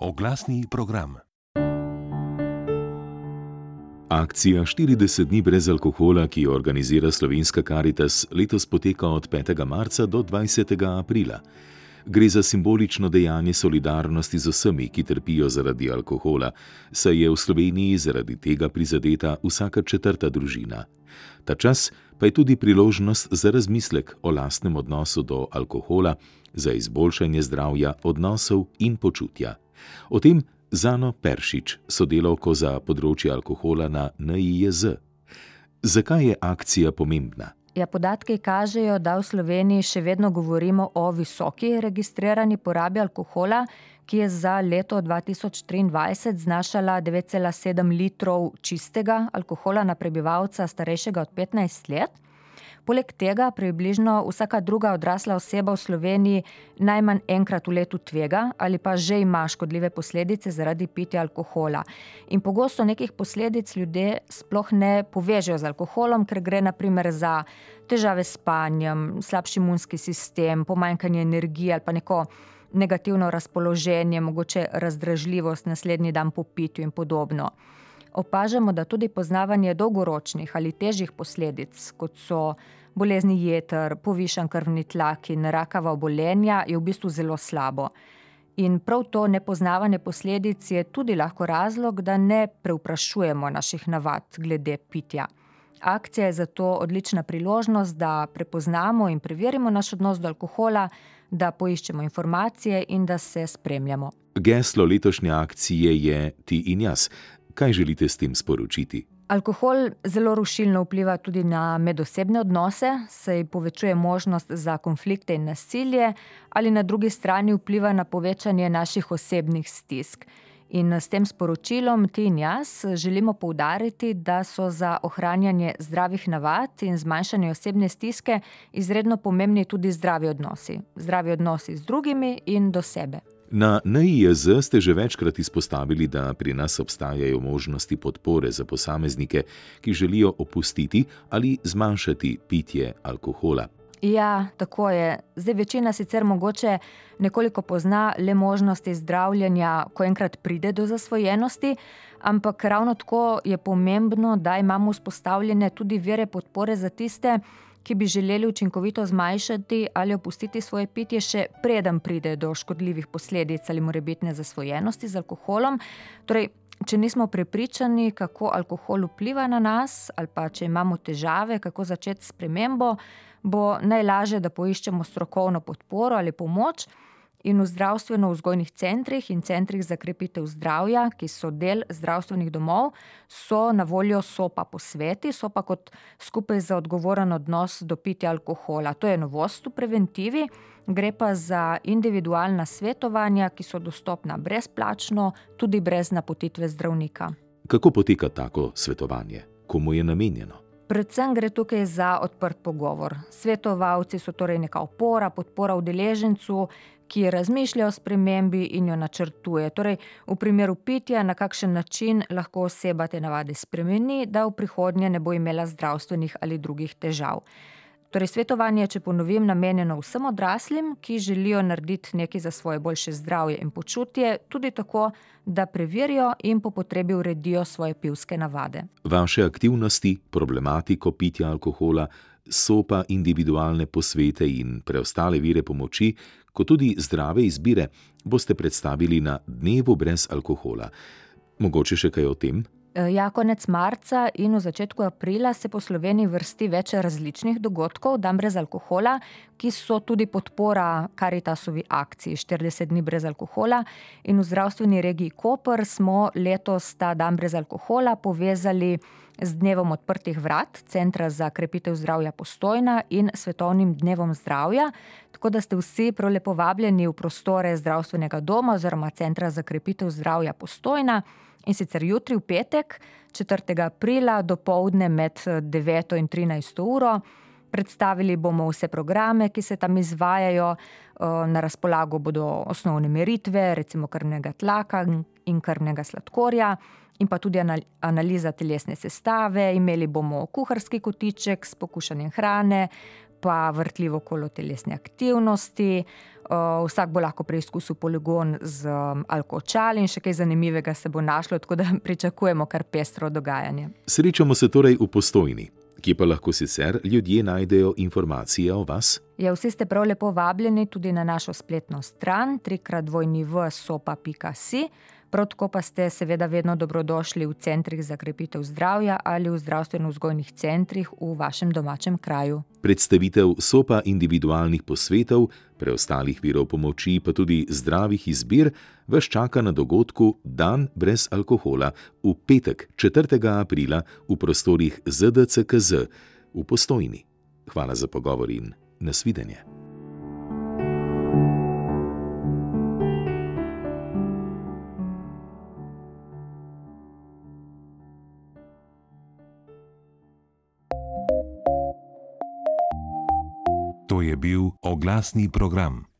Oglasni program. Akcija 40 dni brez alkohola, ki jo organizira Slovenska Karitas, letos poteka od 5. marca do 20. aprila. Gre za simbolično dejanje solidarnosti z vsemi, ki trpijo zaradi alkohola, saj je v Sloveniji zaradi tega prizadeta vsaka 4. družina. Ta čas pa je tudi priložnost za razmislek o lastnem odnosu do alkohola, za izboljšanje zdravja, odnosov in počutja. O tem z Ano Peršič, sodelavko za področje alkohola na NIJZ. Zakaj je akcija pomembna? Podatki kažejo, da v Sloveniji še vedno govorimo o visoki registrirani porabi alkohola, ki je za leto 2023 znašala 9,7 litrov čistega alkohola na prebivalca starejšega od 15 let. Poleg tega približno vsaka druga odrasla oseba v Sloveniji najmanj enkrat v letu tvega ali pa že ima škodljive posledice zaradi pitja alkohola. In pogosto nekih posledic ljudje sploh ne povežejo z alkoholom, ker gre na primer za težave s spanjem, slabši imunski sistem, pomanjkanje energije ali pa neko negativno razpoloženje, mogoče razdražljivost naslednji dan po pitju in podobno. Opažamo, da tudi poznavanje dolgoročnih ali težjih posledic, kot so bolezni jeter, povišan krvni tlak in rakava obolenja, je v bistvu zelo slabo. In prav to nepoznavanje posledic je tudi lahko razlog, da ne preuprašujemo naših navad glede pitja. Akcija je zato odlična priložnost, da prepoznamo in preverimo naš odnos do alkohola, da poiščemo informacije in da se spremljamo. Geslo letošnje akcije je Ti in jaz. Kaj želite s tem sporočiti? Alkohol zelo rušilno vpliva tudi na medosebne odnose, saj povečuje možnost za konflikte in nasilje, ali na drugi strani vpliva na povečanje naših osebnih stisk. In s tem sporočilom Ti in jaz želimo poudariti, da so za ohranjanje zdravih navad in zmanjšanje osebne stiske izredno pomembni tudi zdravi odnosi. Zdravi odnosi z drugimi in do sebe. Na NIJZ ste že večkrat izpostavili, da pri nas obstajajo možnosti podpore za posameznike, ki želijo opustiti ali zmanjšati pitje alkohola. Ja, tako je. Zdaj večina sicer mogoče nekoliko pozna le možnosti zdravljenja, ko enkrat pride do zasvojenosti, ampak ravno tako je pomembno, da imamo vzpostavljene tudi vire podpore za tiste, ki bi želeli učinkovito zmanjšati ali opustiti svoje pitje še preden pride do škodljivih posledic ali morebitne zasvojenosti z alkoholom. Torej, če nismo prepričani, kako alkohol vpliva na nas ali pa če imamo težave, kako začeti s spremembo, bo najlažje, da poiščemo strokovno podporo ali pomoč. In v zdravstveno-vzgojnih centrih in centrih za krepitev zdravja, ki so del zdravstvenih domov, so na voljo SOPA posveti, SOPA kot skupaj za odgovoren odnos do pitja alkohola. To je novost v preventivi, gre pa za individualna svetovanja, ki so dostopna brezplačno, tudi brez napotitve zdravnika. Kako poteka tako svetovanje? Komu je namenjeno? Predvsem gre tukaj za odprt pogovor. Svetovalci so torej neka opora, podpora udeležencu, ki razmišlja o spremembi in jo načrtuje. Torej, v primeru pitja, na kakšen način lahko oseba te navade spremeni, da v prihodnje ne bo imela zdravstvenih ali drugih težav. Torej, svetovanje, če ponovim, namenjeno vsem odraslim, ki želijo narediti nekaj za svoje boljše zdravje in počutje, tudi tako, da preverijo in po potrebi uredijo svoje pivske navade. Vaše aktivnosti, problematiko pitja alkohola, SOPA individualne posvete in preostale vire pomoči, kot tudi zdrave izbire, boste predstavili na Dnevu brez alkohola. Mogoče še kaj o tem? Ja, konec marca in v začetku aprila se po Sloveniji vrsti več različnih dogodkov, dan brez alkohola, ki so tudi podpora Karitasovi akciji 40 dni brez alkohola. In v zdravstveni regiji Koper smo letos ta dan brez alkohola povezali z Dnevom odprtih vrat Centra za krepitev zdravja Postojna in Svetovnim dnevom zdravja, tako da ste vsi prav lepo vabljeni v prostore zdravstvenega doma oziroma Centra za krepitev zdravja Postojna. In sicer jutri v petek, 4. aprila, dopoldne med 9. in 13. uro. Predstavili bomo vse programe, ki se tam izvajajo. Na razpolago bodo osnovne meritve, recimo krvnega tlaka in krvnega sladkorja, in pa tudi analiza telesne sestave. Imeli bomo kuharski kotiček s pokušanjem hrane, pa vrtljivo kolo telesne aktivnosti. Vsak bo lahko preizkusil poligon z alkočal in še kaj zanimivega se bo našlo, tako da pričakujemo kar pestro dogajanje. Srečamo se torej v Postojni. Kje pa lahko sicer ljudje najdejo informacije o vas? Ja, vsi ste prav lepo vabljeni tudi na našo spletno stran www.sopa.si. Prav tako pa ste seveda vedno dobrodošli v centrih za krepitev zdravja ali v zdravstveno-vzgojnih centrih v vašem domačem kraju. Predstavitev SOPA individualnih posvetov, preostalih virov pomoči pa tudi zdravih izbir vas čaka na dogodku Dan brez alkohola v petek 4. aprila v prostorih ZDCKZ v Postojni. Hvala za pogovor in nasvidenje. To je bil oglasni program.